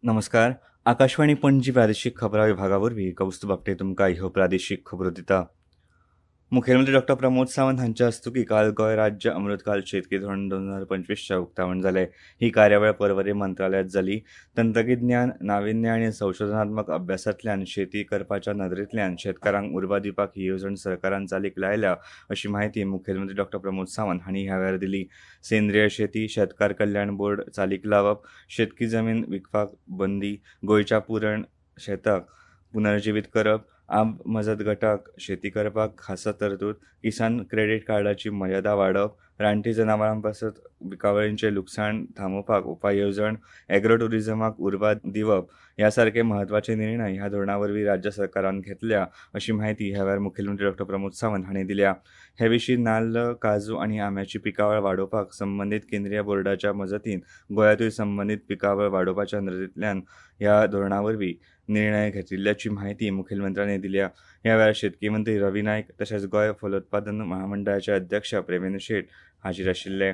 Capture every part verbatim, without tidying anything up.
नमस्कार, आकाशवाणी पणजी प्रादेशीक खबरां विभागा वरवीं कौस्तुभ आपटे तुमकां ह्यो प्रादेशीक खबरो दिता. मुखेलमंत्री डॉक्टर प्रमोद सावंत हांच्या हस्तुकीं काल गोंय राज्य अमृतकाल शेतकी धोरण दोन हजार पंचवीसचें उक्तावण जालें. ही कार्यावळ पर्वरी मंत्रालयांत जाली. तंत्रगिज्ञान, नाविन्य आनी संशोधनात्मक अभ्यासांतल्यान शेती करपाच्या नदरेंतल्यान शेतकारांक उर्बा दिवपाक ही येवजण सरकारान चालीक लायल्या अशी म्हायती मुखेलमंत्री डॉक्टर प्रमोद सावंत हांणी ह्या वेळार दिली. सेंद्रीय शेती, शेतकार कल्याण बोर्ड चालीक लावप, शेतकी जमीन विकपाक बंदी, गोंयच्या पुरण शेताक पुनर्जिवीत करप, आप मजत गटाक शेती करपाक खासा तरतूद, किसान क्रेडीट कार्डाची मर्यादा वाडोवप, रानटी जनावरां पासत पिकावळींचें लुकसाण थांबोवपाक उपाय येवजण, एग्रो ट्युरिजमाक उर्बा दिवप ह्या सारके म्हत्वाचे निर्णय ह्या धोरणा वरवीं राज्य सरकारान घेतल्या अशी म्हायती ह्या वेळार मुखेलमंत्री डॉक्टर प्रमोद सावंत हांणी दिल्या. हे विशीं नाल्ल, काजू आनी आंब्याची पिकावळ वाडोवपाक संबंदीत केंद्रीय बोर्डाच्या मजतीन गोंयांतूय संबंदीत पिकावळ वाडोवपाच्या नदरेंतल्यान ह्या धोरणा वरवीं निर्णय घेतिल्ल्याची म्हायती मुखेलमंत्र्यांनी दिल्या. ह्या वेळार शेतकी मंत्री रवी नायक तशेंच गोंय फलोत्पादन महामंडळाचे अध्यक्ष प्रेमेंद्र शेट हाजीर आशिल्ले.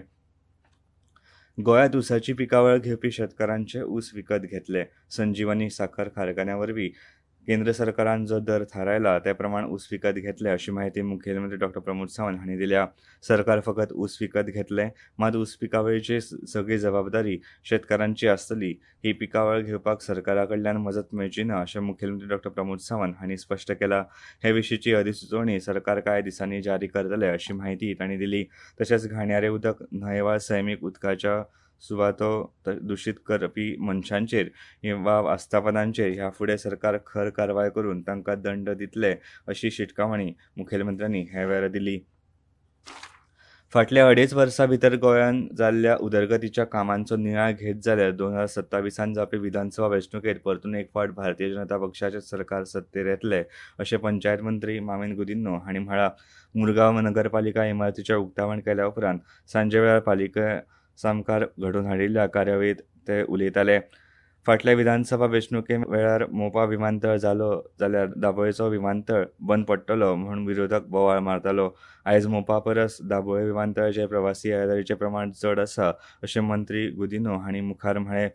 गोंयांत ऊसाची पिकावळ घेवपी शेतकारांचे ऊस विकत घेतले. संजीवनी साखर कारखान्या वरवीं केंद्र सरकारान जो दर थारायला ते प्रमाण ऊस विकत घेतले अशी म्हायती मुखेलमंत्री डॉक्टर प्रमोद सावंत हांणी दिल्या. सरकार फकत ऊस विकत घेतले, मात ऊस पिकावळीची सगळी जबाबदारी शेतकारांची आसतली. ही पिकावळ घेवपाक सरकारा कडल्यान मजत मेळची ना अशें मुखेलमंत्री डॉक्टर प्रमोद सावंत हांणी स्पश्ट केलां. हे विशींची अधिसुचोवणी सरकार कांय दिसांनी जारी करतले अशी म्हायती तांणी दिली. तशेंच घाणयारें उदक, न्हंय वा सैमीक उदकाच्या सुवातो दुशीत करपी मनशांचेर वा आस्थापनांचेर ह्या फुडें सरकार खर कारवाय करून तांकां दंड दितले अशी शिटकावणी मुखेलमंत्र्यांनी ह्या वेळार दिली. फाटल्या अडेच वर्सां भितर गोंयांत जाल्ल्या उदरगतीच्या कामांचो नियाळ घेत जाल्यार दोन हजार सत्तावीसांत जावपी विधानसभा वेंचणुकेंत परतून एक फावट भारतीय जनता पक्षाचें सरकार सत्तेर येतलें अशें पंचायत मंत्री माविन गुदिन्हो हांणी म्हळां. मुरगांव नगरपालिका इमारतीचें उक्तावण केल्या उपरांत सांजे वेळार पालिका सामकार घडोवन हाडिल्ल्या कार्यावळींत ते उलयताले. फाटल्या विधानसभा वेंचणुके वेळार मोपा विमानतळ जालो जाल्यार दाबोळेचो विमानतळ बंद पडटलो म्हूण विरोधक बोवाळ मारतालो. आयज मोपा परस दाबोळे विमानतळाचेर प्रवासी येरादारीचें प्रमाण चड आसा अशें मंत्री गुदिन्हो हांणी मुखार म्हळें.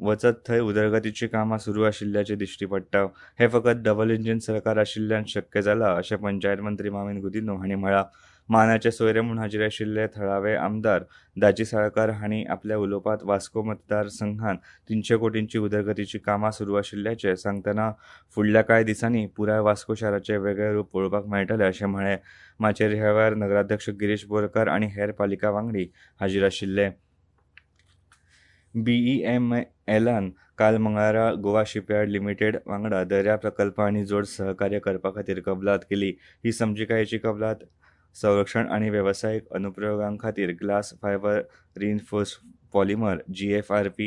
वचत थंय उदरगतीचीं कामां सुरू आशिल्ल्याचें दिश्टी पडटा. हें फकत डबल इंजीन सरकार आशिल्ल्यान शक्य जालां अशें पंचायत मंत्री माविन गुदिन्हो हांणी म्हळां. मानाचे सोयरे म्हूण हाजीर आशिल्ले थळावे आमदार दाजी साळकार हांणी आपल्या उलोवपांत वास्को मतदारसंघात तिनशे कोटींची उदरगतीची कामां सुरू आशिल्ल्याचें सांगतना फुडल्या कांय दिसांनी पुराय वास्को शाराचें वेगळें रूप पळोवपाक मेळटलें अशें म्हळें. माचयेर ह्या वेळार नगराध्यक्ष गिरीश बोरकार आनी हेर पालिका वांगडी हाजीर आशिल्ले. बीईएम एलान काल मंगळारा गोवा शिपयार्ड लिमिटेड वांगडा दर्या प्रकल्प आनी जोड सहकार्य करपा खातीर कबलात केली. ही समजिकायेची कबलात संरक्षण आनी वेवसायीक अनुप्रयोगां खातीर glass fibre reinforced polymer G F R P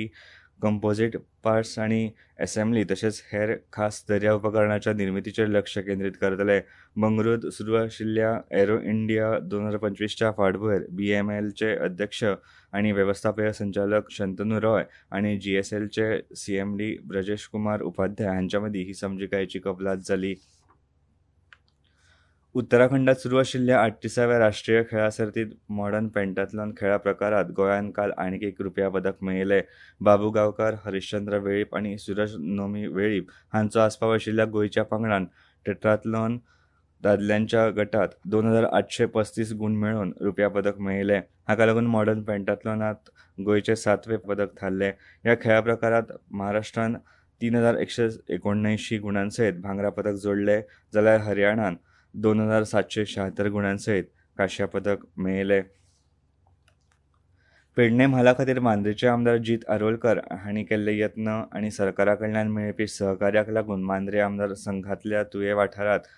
composite parts आनी एसेंब्ली तशेंच हेर खास दर्या उपकरणाच्या निर्मितीचेर लक्ष केंद्रीत करतले. बंगळुरूंत सुरू आशिल्ल्या एरो इंडिया दोन हजार पंचवीसच्या फाटभूंयेर बी एम एलचे अध्यक्ष आनी वेवस्थापकीय संचालक शंतनू रॉय आनी जी एस एलचे C M D Brajesh Kumar Upadhyay हांच्या मदीं ही समजिकायेची कबलात जाली. उत्तराखंडात सुरू आशिल्ल्या आठतीसाव्या राष्ट्रीय खेळां सर्तींत मॉडर्न पेंटाथलॉन खेळा प्रकारांत गोंयान काल आनीक एक रुप्या पदक मेळयलें. बाबू गांवकार, हरिश्चंद्र वेळीप आनी सुरज नोमी वेळीप हांचो आस्पाव आशिल्ल्या गोंयच्या पंगडान टेट्राथलॉन दादल्यांच्या गटांत दोन हजार आठशे पस्तीस गूण मेळोवन रुप्या पदक मेळयलें. हाका लागून मॉडर्न पेंटाथलॉनांत गोंयचें सातवें पदक थारलें. ह्या खेळा प्रकारांत महाराष्ट्रान तीन हजार एकशे एकोणअंयशीं गुणां सयत भांगरा पदक जोडलें, जाल्यार हरियाणान दोन हजार सातशे शहात्तर गुणां सयत कांश्या पदक मेळयलें. पेडणें म्हाला खातीर मांद्रेचे आमदार जीत आरोलकर हांणी केल्ले यत्न आनी सरकारा कडल्यान मेळपी सहकार्याक लागून मांद्रे आमदार संघांतल्या तुयें वाठारांत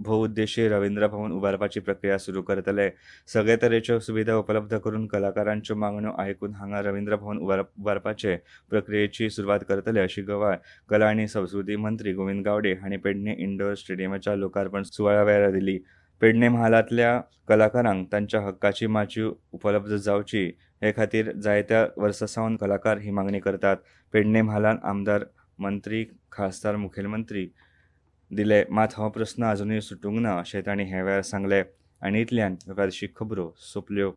भोवउद्देशीय रवींद्र भवन उबारपाची प्रक्रिया सुरू करतले. सगळे तरेच्यो सुविधा उपलब्ध करून कलाकारांच्यो मागण्यो आयकून हांगा रवींद्र भवन उबारपाचे प्रक्रियेची सुरवात करतले अशी गवाय कला आनी संस्कृती मंत्री गोविंद गावडे हांणी पेडणें इंडोर स्टेडियमाच्या लोकार्पण सुवाळ्या वेळार दिली. पेडणें म्हालांतल्या कलाकारांक तांच्या हक्काची माची उपलब्ध जावची हे खातीर जायत्या वर्सां सावन कलाकार ही मागणी करतात. पेडणें म्हालांत आमदार, मंत्री, खासदार, मुखेलमंत्री दिले, मात हो प्रस्न अजुनूय सुटूंक ना अशें तांणी ह्या वेळार सांगलें. आनी इतल्यान प्रादेशीक खबरो सोंपल्यो.